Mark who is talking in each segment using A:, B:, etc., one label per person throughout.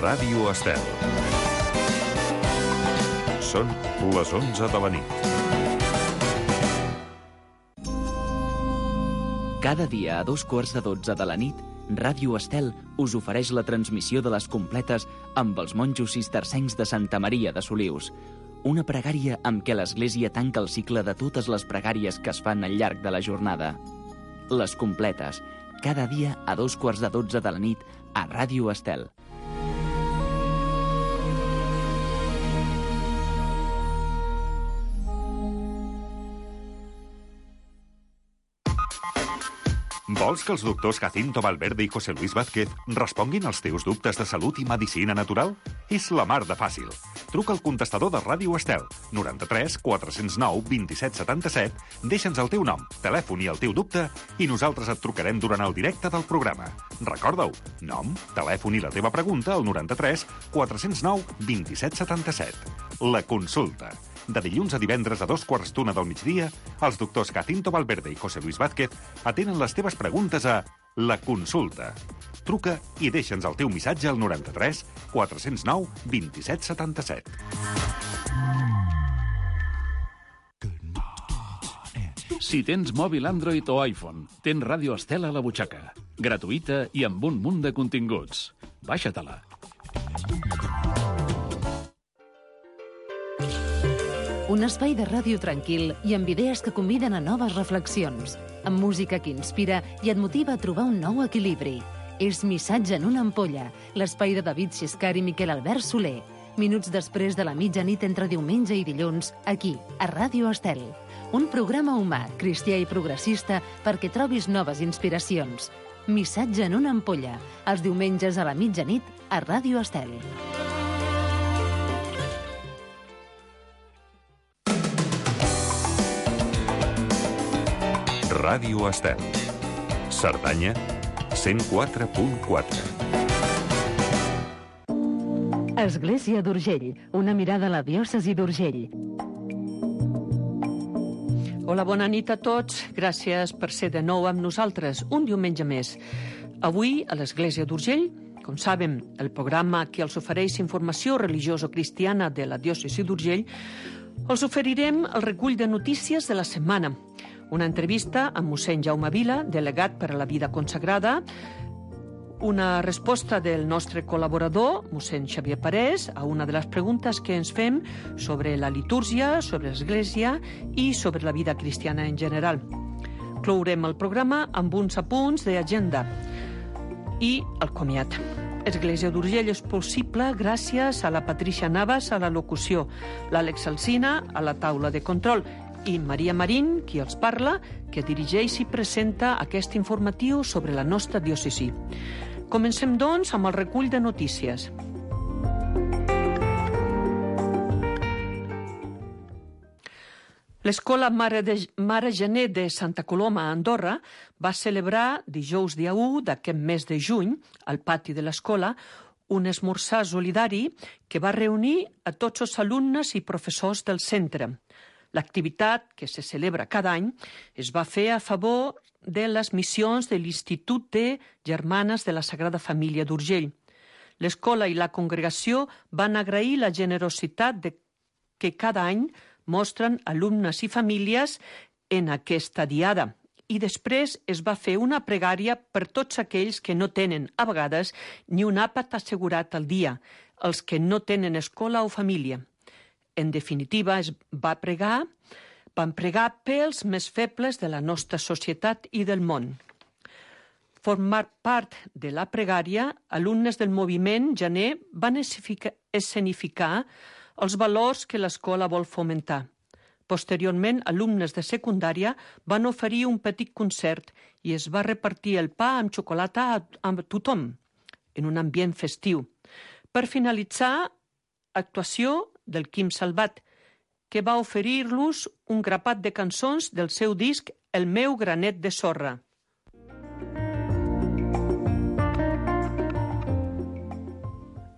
A: Ràdio Estel. Són les 11 de la nit.
B: Cada dia a 2:15 de la nit, Ràdio Estel us ofereix la transmissió de les completes amb els monjos cistercencs de Santa Maria de Solius. Una pregària amb què l'Església tanca el cicle de totes les pregàries que es fan al llarg de la jornada. Les completes, cada dia a 2:15 de la nit a Ràdio Estel.
A: Vols que els doctors Jacinto Valverde i José Luis Vázquez responguin als teus dubtes de salut i medicina natural? És la mar de fàcil. Truca al contestador de Ràdio Estel, 93 409 27 77, deixa'ns el teu nom, telèfon i el teu dubte i nosaltres et trucarem durant el directe del programa. Recorda-ho, nom, telèfon i la teva pregunta al 93 409 27 77. La consulta. De dilluns a divendres a 2:15 del migdia, els doctors Jacinto Valverde i José Luis Vázquez atenen les teves preguntes a La Consulta. Truca i deixa'ns el teu missatge al 93 409 27 77.
C: Si tens mòbil Android o iPhone, tens Ràdio Estel a la butxaca. Gratuïta i amb un munt de continguts. Baixa-te-la.
D: Un espai de ràdio tranquil i amb idees que conviden a noves reflexions, amb música que inspira i et motiva a trobar un nou equilibri. És Missatge en una ampolla, l'espai de David Xiscar i Miquel Albert Soler. Minuts després de la mitjanit entre diumenge i dilluns, aquí, a Ràdio Estel. Un programa humà, cristià i progressista perquè trobis noves inspiracions. Missatge en una ampolla, els diumenges a la mitjanit a Ràdio Estel.
A: Ràdio Estel. Cerdanya, 104.4.
D: Església d'Urgell, una mirada a la diòcesi d'Urgell.
E: Hola, bona nit a tots. Gràcies per ser de nou amb nosaltres, un diumenge més. Avui, a l'Església d'Urgell, com sabem, el programa que els ofereix informació religiosa-cristiana de la diòcesi d'Urgell, els oferirem el recull de notícies de la setmana. Una entrevista amb mossèn Jaume Vila, delegat per a la vida consagrada, una resposta del nostre col·laborador, mossèn Xavier Parés, a una de les preguntes que ens fem sobre la litúrgia, sobre l'Església i sobre la vida cristiana en general. Clourem el programa amb uns apunts d'agenda i el comiat. Església d'Urgell és possible gràcies a la Patricia Navas a la locució, l'Àlex Alsina a la taula de control i Maria Marín, qui els parla, que dirigeix i presenta aquest informatiu sobre la nostra diòcesi. Comencem, doncs, amb el recull de notícies. L'Escola Mare Gené de Santa Coloma a Andorra va celebrar dijous dia 1 d'aquest mes de juny, al pati de l'escola, un esmorzar solidari que va reunir a tots els alumnes i professors del centre. L'activitat, que se celebra cada any, es va fer a favor de les missions de l'Institut de Germanes de la Sagrada Família d'Urgell. L'escola i la congregació van agrair la generositat que cada any mostren alumnes i famílies en aquesta diada. I després es va fer una pregària per tots aquells que no tenen, a vegades, ni un àpat assegurat al dia, els que no tenen escola o família. En definitiva, van pregar pels més febles de la nostra societat i del món. Formar part de la pregària, alumnes del moviment Gené van escenificar els valors que l'escola vol fomentar. Posteriorment, alumnes de secundària van oferir un petit concert i es va repartir el pa amb xocolata a tothom, en un ambient festiu. Per finalitzar, actuació del Quim Salvat, que va oferir-los un grapat de cançons del seu disc El meu granet de sorra.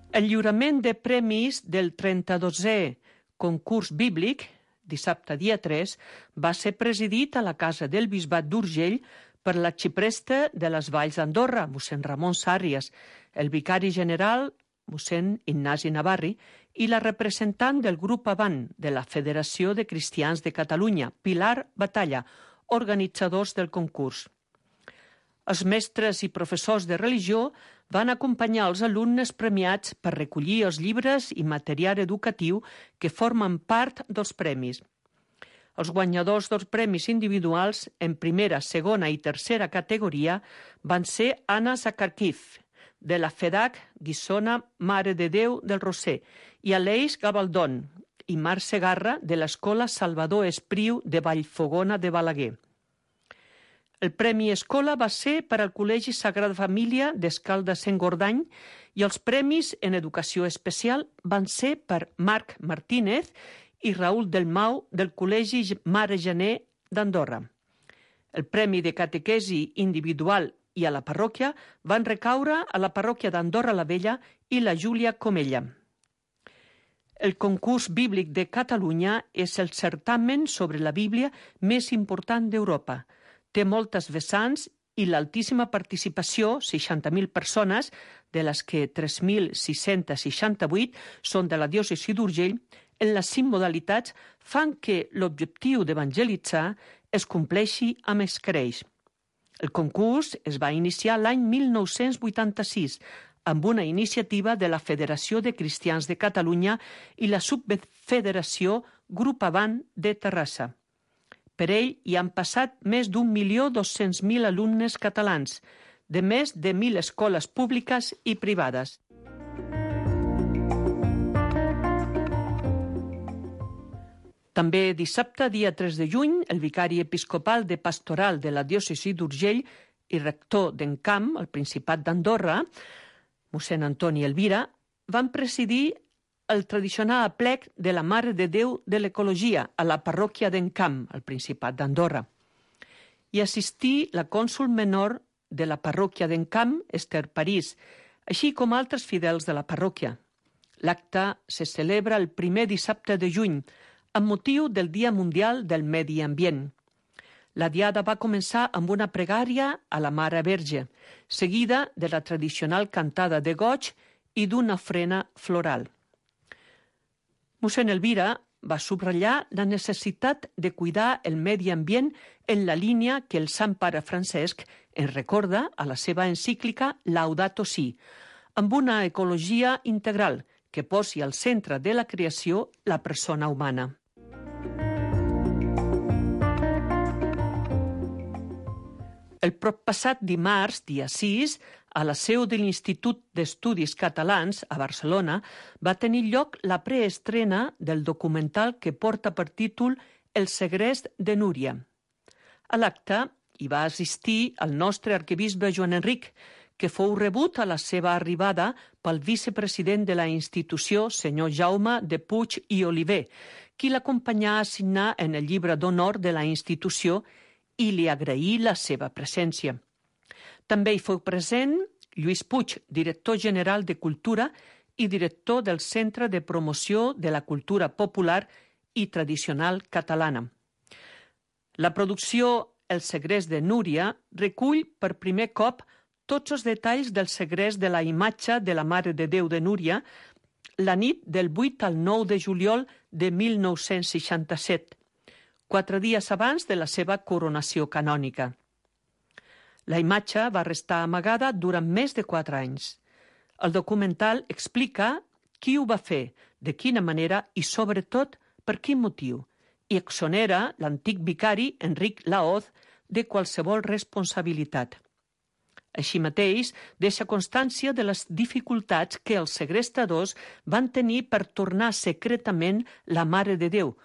E: El lliurament de premis del 32è concurs bíblic, dissabte dia 3, va ser presidit a la Casa del Bisbat d'Urgell per l'arxipreste de les Valls d'Andorra, mossèn Ramon Sàrries, el vicari general mossèn Ignasi Navarri, i la representant del grup Avant de la Federació de Cristians de Catalunya, Pilar Batalla, organitzadors del concurs. Els mestres i professors de religió van acompanyar els alumnes premiats per recollir els llibres i material educatiu que formen part dels premis. Els guanyadors dels premis individuals en primera, segona i tercera categoria van ser Anna Zakarkiv, de la FEDAC Guissona Mare de Déu del Roser, i Aleix Gabaldon i Marc Segarra, de l'Escola Salvador Espriu de Vallfogona de Balaguer. El Premi Escola va ser per al Col·legi Sagrada Família d'Escalda-Sengordany i els premis en educació especial van ser per Marc Martínez i Raül Delmau del Col·legi Mare Gené d'Andorra. El Premi de Catequesi individual i a la parròquia van recaure a la parròquia d'Andorra la Vella i la Júlia Comella. El concurs bíblic de Catalunya és el certamen sobre la Bíblia més important d'Europa. Té moltes vessants i l'altíssima participació, 60.000 persones, de les que 3.668 són de la diòcesi d'Urgell, en les 5 modalitats fan que l'objectiu d'evangelitzar es compleixi amb escreix. El concurs es va iniciar l'any 1986 amb una iniciativa de la Federació de Cristians de Catalunya i la Subfederació Grup Avant de Terrassa. Per ell hi han passat més d'1.200.000 alumnes catalans, de més de 1.000 escoles públiques i privades. També dissabte, dia 3 de juny, el vicari episcopal de Pastoral de la diòcesi d'Urgell i rector d'Encamp, al Principat d'Andorra, mossèn Antoni Elvira, van presidir el tradicional aplec de la Mare de Déu de l'Ecologia a la parròquia d'Encamp, al Principat d'Andorra. Hi assistí la cònsol menor de la parròquia d'Encamp, Esther París, així com altres fidels de la parròquia. L'acte se celebra el primer dissabte de juny, amb motiu del Dia Mundial del Medi Ambient. La diada va començar amb una pregària a la Mare Verge, seguida de la tradicional cantada de goig i d'una ofrena floral. Mossèn Elvira va subratllar la necessitat de cuidar el medi ambient en la línia que el Sant Pare Francesc en recorda a la seva encíclica Laudato Si, amb una ecologia integral que posi al centre de la creació la persona humana. El proppassat dimarts, dia 6, a la seu de l'Institut d'Estudis Catalans, a Barcelona, va tenir lloc la preestrena del documental que porta per títol El segrest de Núria. A l'acte hi va assistir el nostre arquebisbe Joan Enric, que fou rebut a la seva arribada pel vicepresident de la institució, senyor Jaume de Puig i Oliver, qui l'acompanyà a signar en el llibre d'honor de la institució i li agraí la seva presència. També hi fou present Lluís Puig, director general de Cultura i director del Centre de Promoció de la Cultura Popular i Tradicional Catalana. La producció El segrest de Núria recull per primer cop tots els detalls del segrest de la imatge de la Mare de Déu de Núria la nit del 8 al 9 de juliol de 1967, 4 dies abans de la seva coronació canònica. La imatge va restar amagada durant més de 4 anys. El documental explica qui ho va fer, de quina manera i, sobretot, per quin motiu, i exonera l'antic vicari Enric Laoz de qualsevol responsabilitat. Així mateix, deixa constància de les dificultats que els segrestadors van tenir per tornar secretament la Mare de Déu,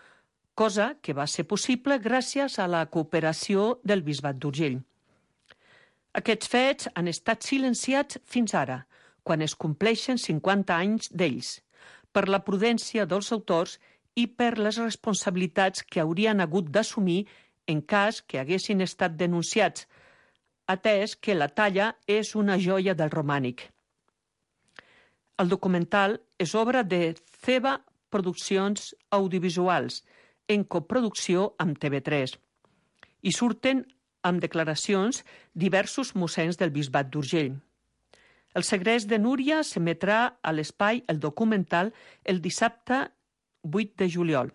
E: cosa que va ser possible gràcies a la cooperació del Bisbat d'Urgell. Aquests fets han estat silenciats fins ara, quan es compleixen 50 anys d'ells, per la prudència dels autors i per les responsabilitats que haurien hagut d'assumir en cas que haguessin estat denunciats, atès que la talla és una joia del romànic. El documental és obra de Ceba Produccions Audiovisuals, en coproducció amb TV3. Hi surten amb declaracions diversos mossens del Bisbat d'Urgell. El segrest de Núria s'emetrà a l'Espai El Documental el dissabte 8 de juliol.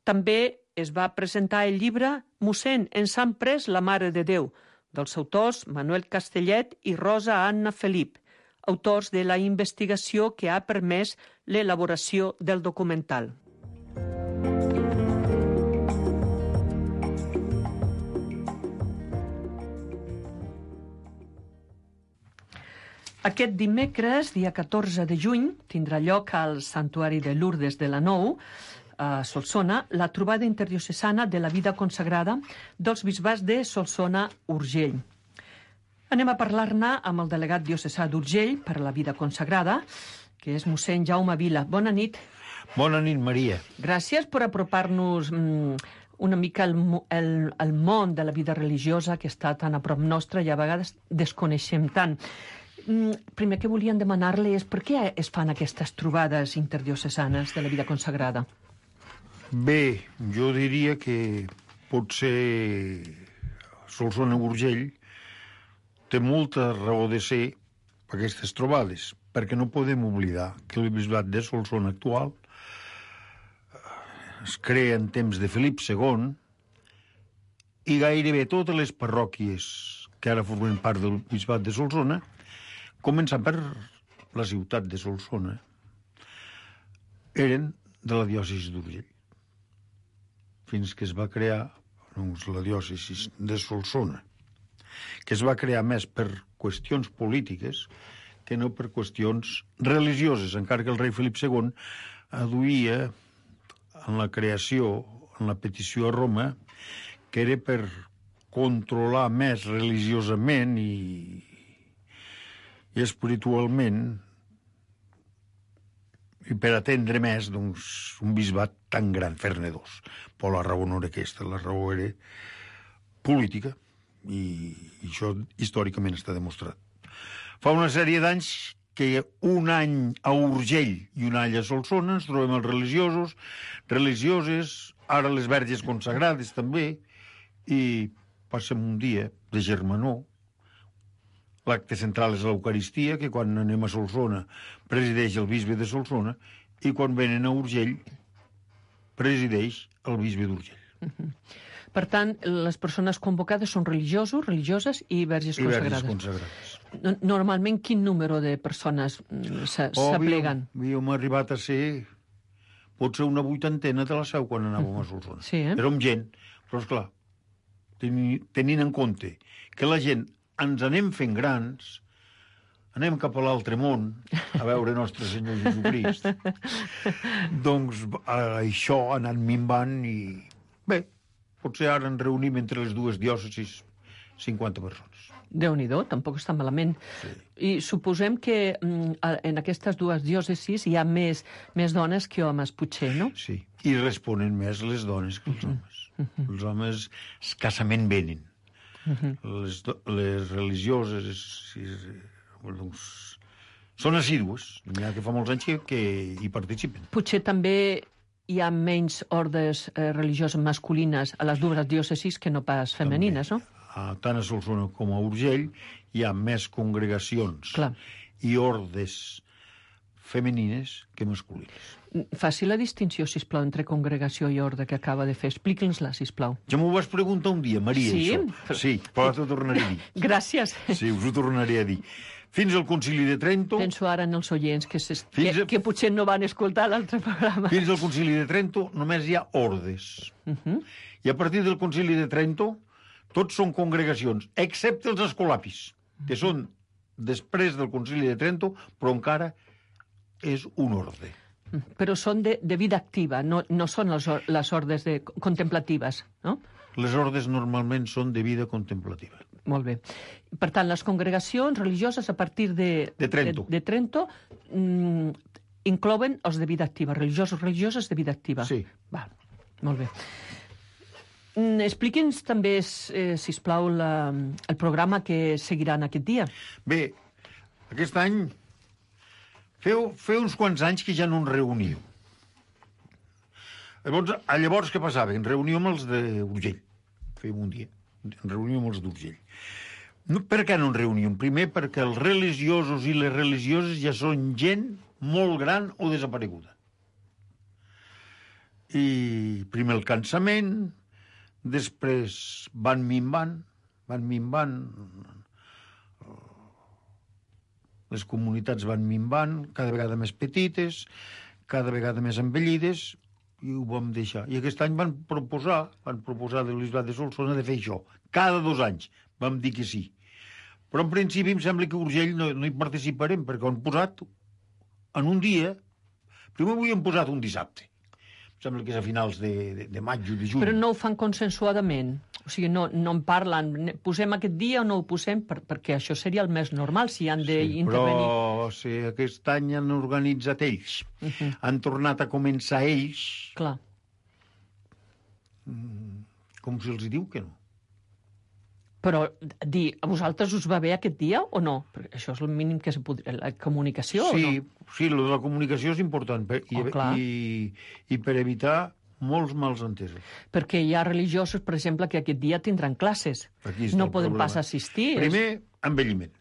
E: També es va presentar el llibre Mossèn, ens han pres la Mare de Déu, dels autors Manuel Castellet i Rosa Anna Felip, autors de la investigació que ha permès l'elaboració del documental. Aquest dimecres, dia 14 de juny, tindrà lloc al Santuari de Lourdes de la Nou, a Solsona, la trobada interdiocesana de la vida consagrada dels bisbats de Solsona-Urgell. Anem a parlar-ne amb el delegat diocesà d'Urgell per a la vida consagrada, que és mossèn Jaume Vila. Bona nit.
F: Bona nit, Maria.
E: Gràcies per apropar-nos una mica al món de la vida religiosa que està tan a prop nostra i a vegades desconeixem tant. Primer que volíem demanar-li és per què es fan aquestes trobades interdiocesanes de la vida consagrada?
F: Bé, jo diria que potser Solsona-Urgell té molta raó de ser aquestes trobades, perquè no podem oblidar que el bisbat de Solsona actual es crea en temps de Felip II i gairebé totes les parròquies que ara formen part del bisbat de Solsona, començant per la ciutat de Solsona, eren de la diòcesi d'Urgell, fins que es va crear la diòcesi de Solsona, que es va crear més per qüestions polítiques que no per qüestions religioses, encara que el rei Felip II aduïa en la creació, en la petició a Roma, que era per controlar més religiosament i espiritualment i per atendre més un bisbat tan gran, fer-ne dos. Però la raó no era aquesta, la raó era política i això històricament està demostrat. Fa una sèrie d'anys que un any a Urgell i un any a Solsona ens trobem els religiosos, religioses, ara les verges consagrades també, i passem un dia de germanor. L'acte central és l'Eucaristia, que quan anem a Solsona presideix el bisbe de Solsona, i quan venen a Urgell presideix el bisbe d'Urgell.
E: Per tant, les persones convocades són religiosos, religioses i verges consagrades.
F: I verges consagrades.
E: Normalment, quin número de persones s'apleguen?
F: Havíem arribat a ser potser una vuitantena de la Seu quan anàvem a Solsona.
E: Sí,
F: Érem gent, però esclar, tenint en compte que la gent ens anem fent grans, anem cap a l'altre món a veure Nostre Senyor Jesucrist, doncs això ha anat minvant i bé, potser ara ens reunim entre les dues diòcesis 50 persones.
E: Déu-n'hi-do, tampoc està malament.
F: Sí.
E: I suposem que en aquestes dues diòcesis hi ha més dones que homes, potser, no?
F: Sí, i responen més les dones que els homes. Els homes escassament venen. Les religioses són assídues, n'hi ha que fa molts anys que hi participen.
E: Potser també hi ha menys ordes religioses masculines a les dues diòcesis que no pas femenines, no?
F: Tant a Solsona com a Urgell hi ha més congregacions i ordes femenines que masculines.
E: Faci la distinció, sisplau, entre congregació i orde que acaba de fer. Expliqui'ns-la, sisplau.
F: Ja m'ho vas preguntar un dia, Maria, això. Sí, però t'ho tornaré a dir.
E: Gràcies.
F: Sí, us ho tornaré a dir. Fins al Concili de Trento...
E: Penso ara en els oients que potser no van escoltar l'altre programa.
F: Fins al Concili de Trento només hi ha ordes. I a partir del Concili de Trento tots són congregacions, excepte els escolapis, que són després del Concili de Trento, però encara és un orde.
E: Però són de vida activa, no són les ordes contemplatives, no?
F: Les ordes normalment són de vida contemplativa.
E: Molt bé. Per tant, les congregacions religioses a partir de Trento inclouen els de vida activa, religioses de vida activa.
F: Sí.
E: Va, molt bé. Expliqui'ns també, sisplau, el programa que seguiran aquest dia.
F: Bé, aquest any feu uns quants anys que ja no ens reuniu. Llavors què passava? Ens reuníem els d'Urgell. Fèiem un dia. Ens reuníem els d'Urgell. No, per què no en reuníem? Primer, perquè els religiosos i les religioses ja són gent molt gran o desapareguda. I primer el cansament, després van minvant, les comunitats van minvant, cada vegada més petites, cada vegada més envellides, i ho vam deixar. I aquest any van proposar de l'Isbat de Solsona de fer això. Cada 2 anys vam dir que sí. Però en principi em sembla que a Urgell no hi participarem, perquè ho han posat en un dia. Primer ho havien posat un dissabte. Em sembla que és a finals de maig o de juny.
E: Però no ho fan consensuadament? O sigui, no en parlen, posem aquest dia o no ho posem, perquè això seria el més normal, si han d'intervenir.
F: Però si aquest any han organitzat ells, han tornat a començar ells,
E: Clar.
F: Com si els diu que no.
E: Però a vosaltres us va bé aquest dia o no? Perquè això és el mínim que se podria... La comunicació o no?
F: Sí, lo de la comunicació és important i per evitar molts mals entesos.
E: Perquè hi ha religiosos, per exemple, que aquest dia tindran classes. No poden pas assistir.
F: Primer, envelliment.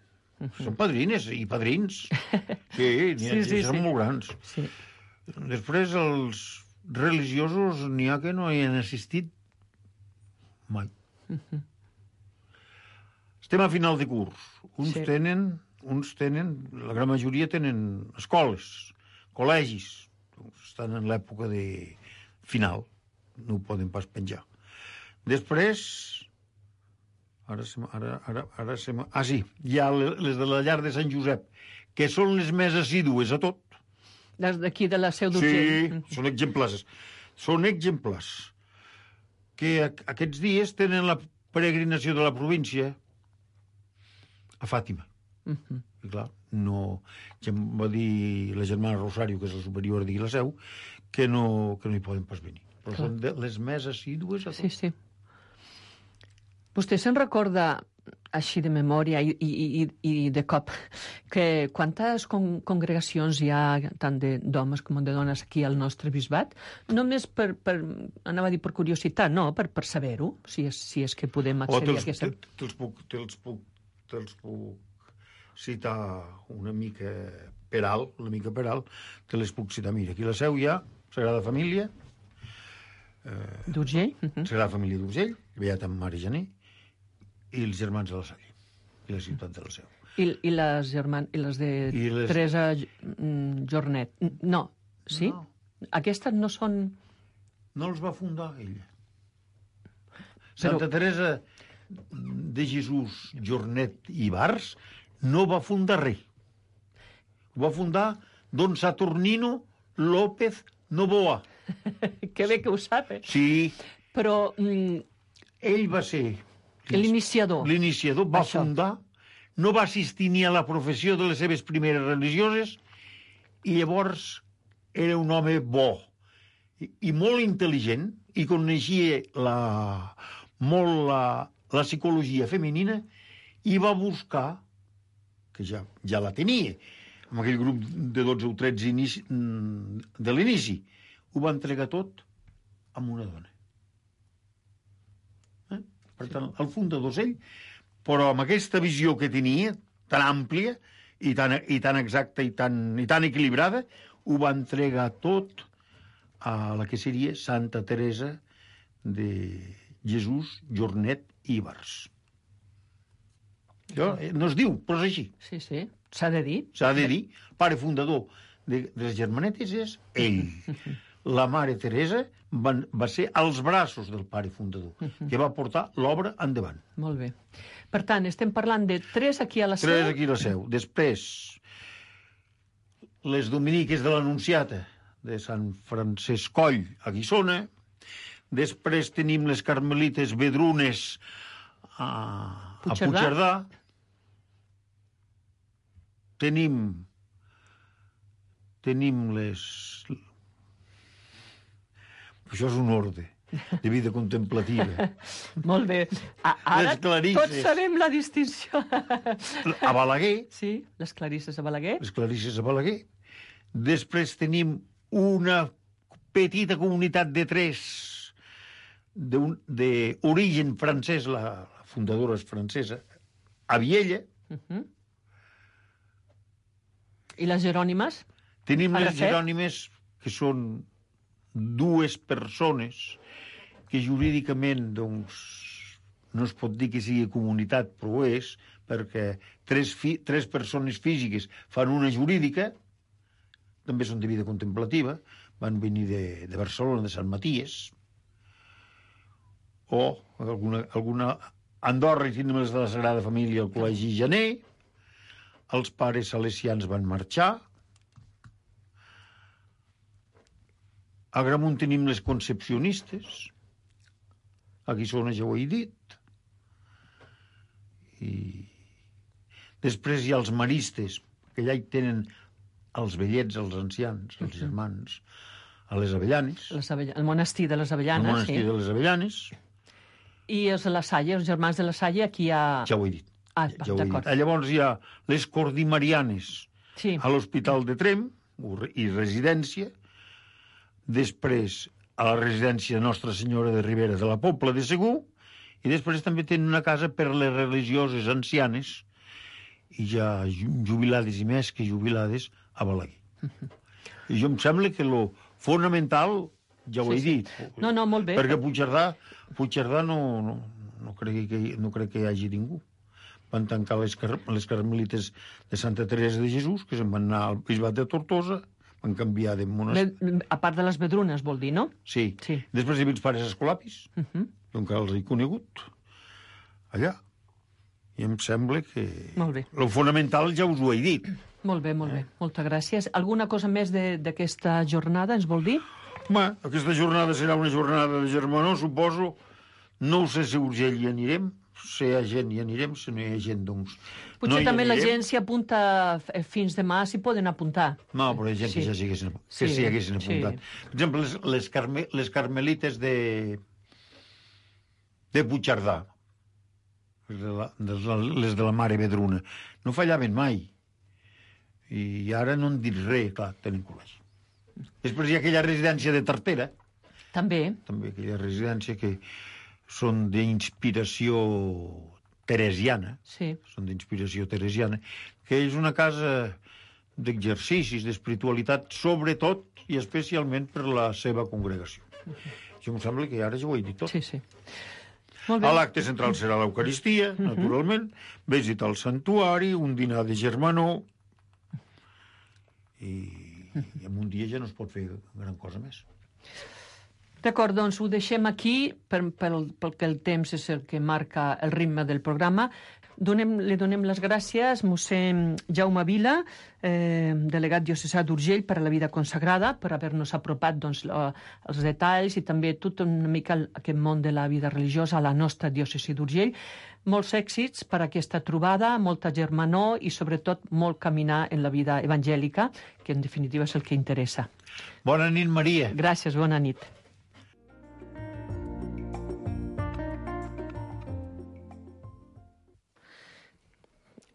F: Són padrines i padrins. Sí, són molt grans.
E: Sí.
F: Després, els religiosos n'hi ha que no hi han assistit mai. Estem a final de curs. Uns tenen, la gran majoria tenen escoles, col·legis. Estan en l'època de final. No ho poden pas penjar. Després, sí, hi ha les de la llar de Sant Josep, que són les més assídues a tot.
E: Les d'aquí de la Seu d'Urgell.
F: Sí, són exemplars. Són exemplars. Que aquests dies tenen la peregrinació de la província a Fàtima. I clar, ja em va dir la germana Rosario, que és la superior de la Seu, que no hi poden pas venir. Però són les més assídues a tot.
E: Sí. Vostè se'n recorda, així de memòria i de cop, que quantes congregacions hi ha, tant d'homes com de dones, aquí al nostre bisbat? Només anava a dir per curiositat, no, per saber-ho, si és que podem accedir a aquesta...
F: Te'ls puc citar una mica per alt, te les puc citar. Mira, aquí a la Seu hi ha Sagrada Família,
E: d'Urgell?
F: Sagrada Família d'Urgell, Beata Mare Gené, i els Germans de la Salle, i la ciutat de la Seu.
E: I les de Teresa Jornet? No, sí?
F: No.
E: Aquestes no són...
F: No els va fundar ella. Santa Teresa de Jesús Jornet i Bars no va fundar res. Ho va fundar don Saturnino López Novoa.
E: Que bé que ho sap, eh?
F: Sí.
E: Però...
F: ell va ser...
E: L'iniciador.
F: L'iniciador va fundar, no va assistir ni a la professió de les seves primeres religioses, i llavors era un home bo i molt intel·ligent, i coneixia molt la psicologia femenina, i va buscar, que ja la tenia, amb aquell grup de 12 o 13 de l'inici, ho va entregar tot a una dona. Per tant, el fundador és ell, però amb aquesta visió que tenia, tan àmplia i tan exacta i tan equilibrada, ho va entregar tot a la que seria Santa Teresa de Jesús Jornet i Bars. No es diu, però és així.
E: Sí, s'ha de dir.
F: S'ha de dir. El pare fundador de les germanetes és ell. La mare Teresa va ser als braços del pare fundador, que va portar l'obra endavant.
E: Molt bé. Per tant, estem parlant de 3 aquí a la Seu.
F: 3 aquí a la Seu. Després, les dominiques de l'Anunciata, de Sant Francesc Coll, a Guissona. Després tenim les carmelites vedrunes a Puigcerdà. Tenim les... Això és un ordre de vida contemplativa.
E: Molt bé. Ara tots sabem la distinció.
F: A Balaguer.
E: Sí, les clarisses a Balaguer.
F: Les clarisses a Balaguer. Després tenim una petita comunitat de 3 d'origen francès, la fundadora és francesa, a Viella.
E: I les Jerònimes?
F: Tenim les Jerònimes, que són dues persones que jurídicament, doncs, no es pot dir que sigui comunitat, però ho és, perquè tres persones físiques fan una jurídica, també són de vida contemplativa, van venir de Barcelona, de Sant Maties, o alguna Andorra, i tenim les de la Sagrada Família, al Col·legi Janer, els pares salesians van marxar, a Gramunt tenim les concepcionistes, a Guissona ja ho he dit, i després hi ha els maristes, que allà hi tenen els vellets, els ancians, els germans, a les Avellanes.
E: El monestir de les Avellanes,
F: el monestir de les Avellanes.
E: I els de la Salle, els germans de la Salle, aquí hi ha...
F: Ja ho he dit.
E: Ah, d'acord.
F: Llavors hi ha les Cordimarianes a l'Hospital de Tremp, i residència. Després a la residència Nostra Senyora de Ribera de la Pobla de Segur, i després també tenen una casa per les religioses ancianes, i ja jubilades i més que jubilades a Balaguer. I jo em sembla que lo fonamental, ja ho he dit.
E: No, molt bé.
F: Perquè Puigcerdà no crec que hi hagi ningú. Van tancar les carmelites de Santa Teresa de Jesús, que se'n van anar al bisbat de Tortosa, van canviar de monestir.
E: A part de les Vedrunes, vol dir, no?
F: Sí. Després hi havia els pares escolapis, jo encara els he conegut, allà. I em sembla que...
E: Molt bé.
F: Lo fonamental ja us ho he dit.
E: Molt bé. Moltes gràcies. Alguna cosa més d'aquesta jornada ens vol dir?
F: Home, aquesta jornada serà una jornada de germanor, suposo. No ho sé si Urgell hi anirem, si hi ha gent hi anirem, si no hi ha gent, doncs...
E: Potser també la gent s'hi apunta fins demà, s'hi poden apuntar.
F: No, però hi ha gent que ja s'hi haguessin apuntat. Per exemple, les carmelites de Puigcerdà, les de la Mare Vedruna, no fallaven mai. I ara no en dic res, clar, tenen col·legi. Després hi ha aquella residència de Tartera.
E: També.
F: També aquella residència que són d'inspiració teresiana.
E: Sí. Són
F: d'inspiració teresiana, que és una casa d'exercicis, d'espiritualitat, sobretot i especialment per la seva congregació. Jo em sembla que ara ja ho he dit tot.
E: Sí. Molt bé.
F: L'acte central serà l'Eucaristia, naturalment, visita al santuari, un dinar de germanor, i en un dia ja no es pot fer gran cosa més.
E: D'acord, doncs ho deixem aquí, perquè el temps és el que marca el ritme del programa. Li donem les gràcies a mossèn Jaume Vila, delegat diocesà d'Urgell per a la vida consagrada, per haver-nos apropat els detalls i també tot una mica aquest món de la vida religiosa a la nostra diòcesi d'Urgell. Molts èxits per a aquesta trobada, molta germanor i sobretot molt caminar en la vida evangèlica, que en definitiva és el que interessa.
F: Bona nit, Maria.
E: Gràcies, bona nit.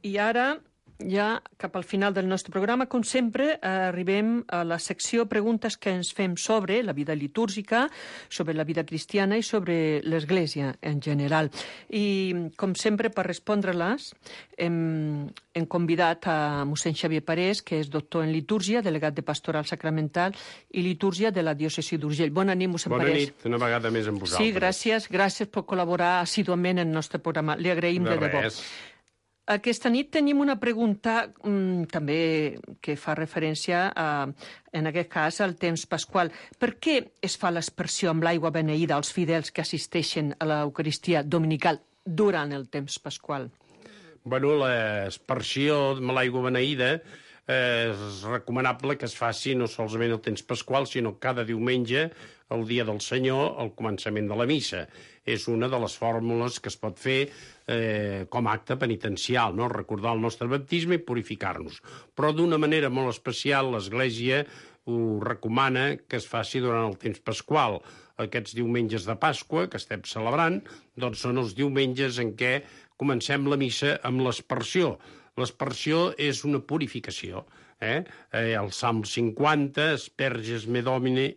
E: I ara, ja cap al final del nostre programa, com sempre, arribem a la secció preguntes que ens fem sobre la vida litúrgica, sobre la vida cristiana i sobre l'Església en general. I, com sempre, per respondre-les, hem convidat a mossèn Xavier Parés, que és doctor en litúrgia, delegat de Pastoral Sacramental i litúrgia de la diòcesi d'Urgell. Bona nit, mossèn Parés.
G: Bona nit, una vegada més amb vosaltres.
E: Sí, gràcies per col·laborar assíduament en el nostre programa. Li agraïm de debò. Aquesta nit tenim una pregunta també que fa referència en aquest cas al temps pasqual. Per què es fa l'aspersió amb l'aigua beneïda als fidels que assisteixen a l'Eucaristia dominical durant el temps pasqual?
G: Bueno, l'aspersió amb l'aigua beneïda és recomanable que es faci no solament el temps pasqual, sinó cada diumenge, el dia del Senyor, al començament de la missa. És una de les fórmules que es pot fer com a acte penitencial, no? Recordar el nostre baptisme i purificar-nos. Però d'una manera molt especial l'Església ho recomana que es faci durant el temps pasqual. Aquests diumenges de Pasqua que estem celebrant doncs són els diumenges en què comencem la missa amb l'aspersió. L'aspersió és una purificació. El Salm 50, Asperges me Domine,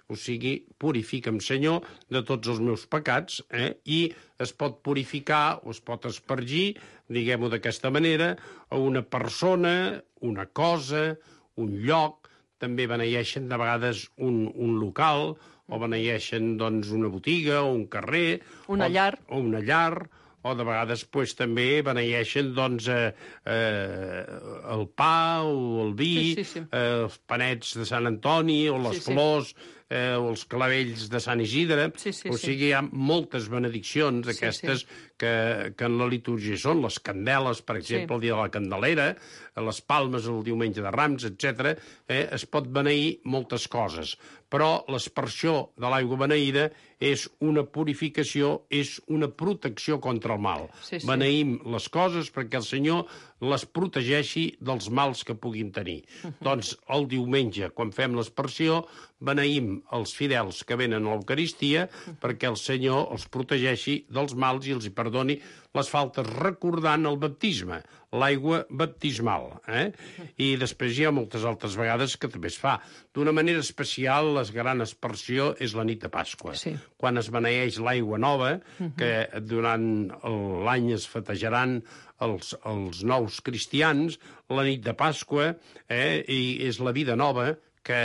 G: o sigui, purifica'm, Senyor, de tots els meus pecats, i es pot purificar o es pot espargir, diguem-ho d'aquesta manera, a una persona, una cosa, un lloc, també beneeixen de vegades un local, o beneeixen doncs, una botiga o un carrer,
E: una llar,
G: o de vegades també beneeixen doncs, el pa o el vi, els panets de Sant Antoni o les flors o els clavells de Sant Isidre. O sigui, hi ha moltes benediccions d'aquestes que en la litúrgia són. Les candeles, per exemple, el dia de la Candelera, les palmes el diumenge de Rams, etc. Es pot beneir moltes coses, però l'aspersió de l'aigua beneïda és una purificació, és una protecció contra el mal. Beneïm les coses perquè el Senyor les protegeixi dels mals que puguin tenir. Doncs el diumenge, quan fem l'aspersió, beneïm els fidels que venen a l'Eucaristia perquè el Senyor els protegeixi dels mals i els hi perdoni les faltes, recordant el baptisme, l'aigua baptismal. I després hi ha moltes altres vegades que també es fa. D'una manera especial, la gran aspersió és la nit de Pasqua. Quan es beneeix l'aigua nova, que durant l'any es festejaran els nous cristians, la nit de Pasqua, i és la vida nova que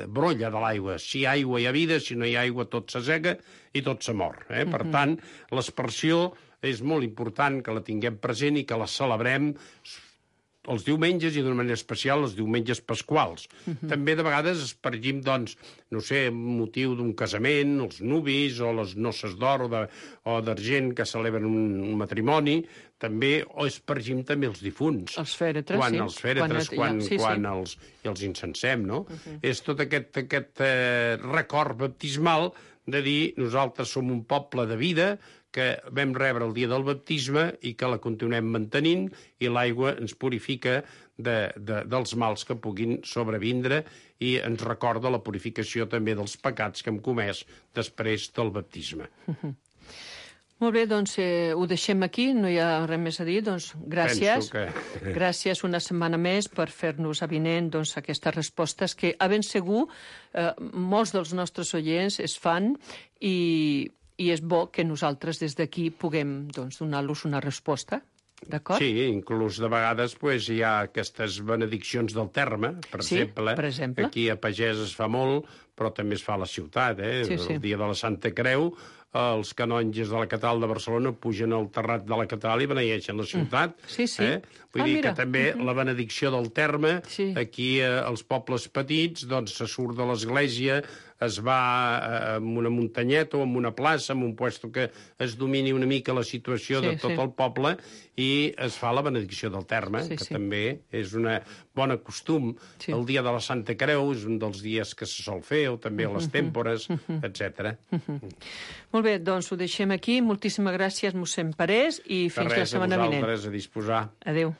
G: brolla de l'aigua. Si hi ha aigua hi ha vida, si no hi ha aigua tot s'assega i tot se mor. Per tant, l'aspersió és molt important que la tinguem present i que la celebrem els diumenges i d'una manera especial els diumenges pasquals. També de vegades espargim, doncs, no sé, motiu d'un casament, els nuvis o les noces d'or o d'argent que celebren un matrimoni, també, o espargim també els difunts.
E: Els fèretres,
G: sí. Els fèretres, quan els incensem, no? És tot aquest record baptismal de dir nosaltres som un poble de vida que vam rebre el dia del baptisme i que la continuem mantenint i l'aigua ens purifica dels mals que puguin sobrevindre i ens recorda la purificació també dels pecats que hem comès després del baptisme.
E: Molt bé, doncs ho deixem aquí, no hi ha res més a dir, doncs gràcies. Gràcies una setmana més per fer-nos avinent aquestes respostes que, a ben segur, molts dels nostres oients es fan i és bo que nosaltres des d'aquí puguem donar-los una resposta, d'acord?
G: Sí, inclús de vegades hi ha aquestes benediccions del terme, per exemple. Aquí a Pagès es fa molt, però també es fa a la ciutat. El dia de la Santa Creu, els canonges de la catedral de Barcelona pugen al terrat de la catedral i beneeixen la ciutat. Vull dir que també la benedicció del terme, aquí als pobles petits, doncs se surt de l'església, es va en una muntanyeta o en una plaça, en un puesto que es domini una mica la situació de tot el poble i es fa la benedicció del terme, que també és un bon costum. El dia de la Santa Creu és un dels dies que se sol fer, o també a les tèmpores, etc.
E: Molt bé, doncs ho deixem aquí. Moltíssimes gràcies, mossèn Parés, i fins la setmana vinent.
G: A vosaltres, a disposar.
E: Adéu.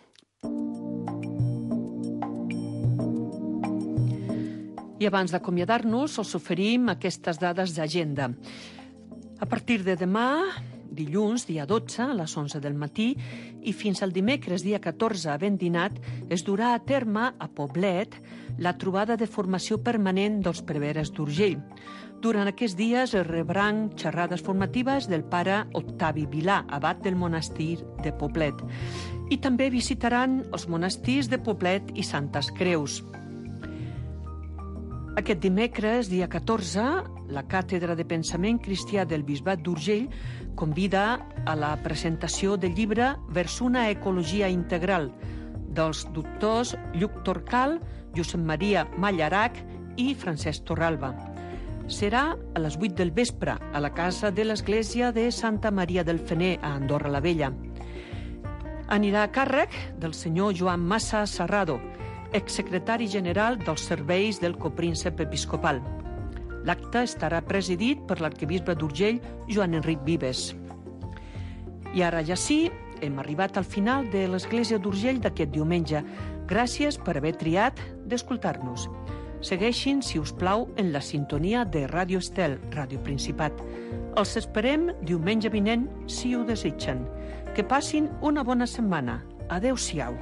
E: I abans d'acomiadar-nos, els oferim aquestes dades d'agenda. A partir de demà, dilluns, dia 12, a les 11 del matí, i fins al dimecres, dia 14, havent dinat, es durà a terme a Poblet la trobada de formació permanent dels preveres d'Urgell. Durant aquests dies es rebran xerrades formatives del pare Octavi Vilà, abat del monestir de Poblet. I també visitaran els monestirs de Poblet i Santes Creus. Aquest dimecres, dia 14, la Càtedra de Pensament Cristià del Bisbat d'Urgell convida a la presentació del llibre Vers una ecologia integral dels doctors Lluc Torcal, Josep Maria Mallarac i Francesc Torralba. Serà a les 8 del vespre a la casa de l'església de Santa Maria del Fener a Andorra la Vella. Anirà a càrrec del senyor Joan Massa Serrado, exsecretari general dels serveis del copríncep episcopal. L'acte estarà presidit per l'arquebisbe d'Urgell, Joan Enric Vives. I ara ja sí, hem arribat al final de l'Església d'Urgell d'aquest diumenge. Gràcies per haver triat d'escoltar-nos. Segueixin, si us plau, en la sintonia de Ràdio Estel, Ràdio Principat. Els esperem diumenge vinent, si ho desitgen. Que passin una bona setmana. Adéu-siau.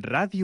H: Ràdio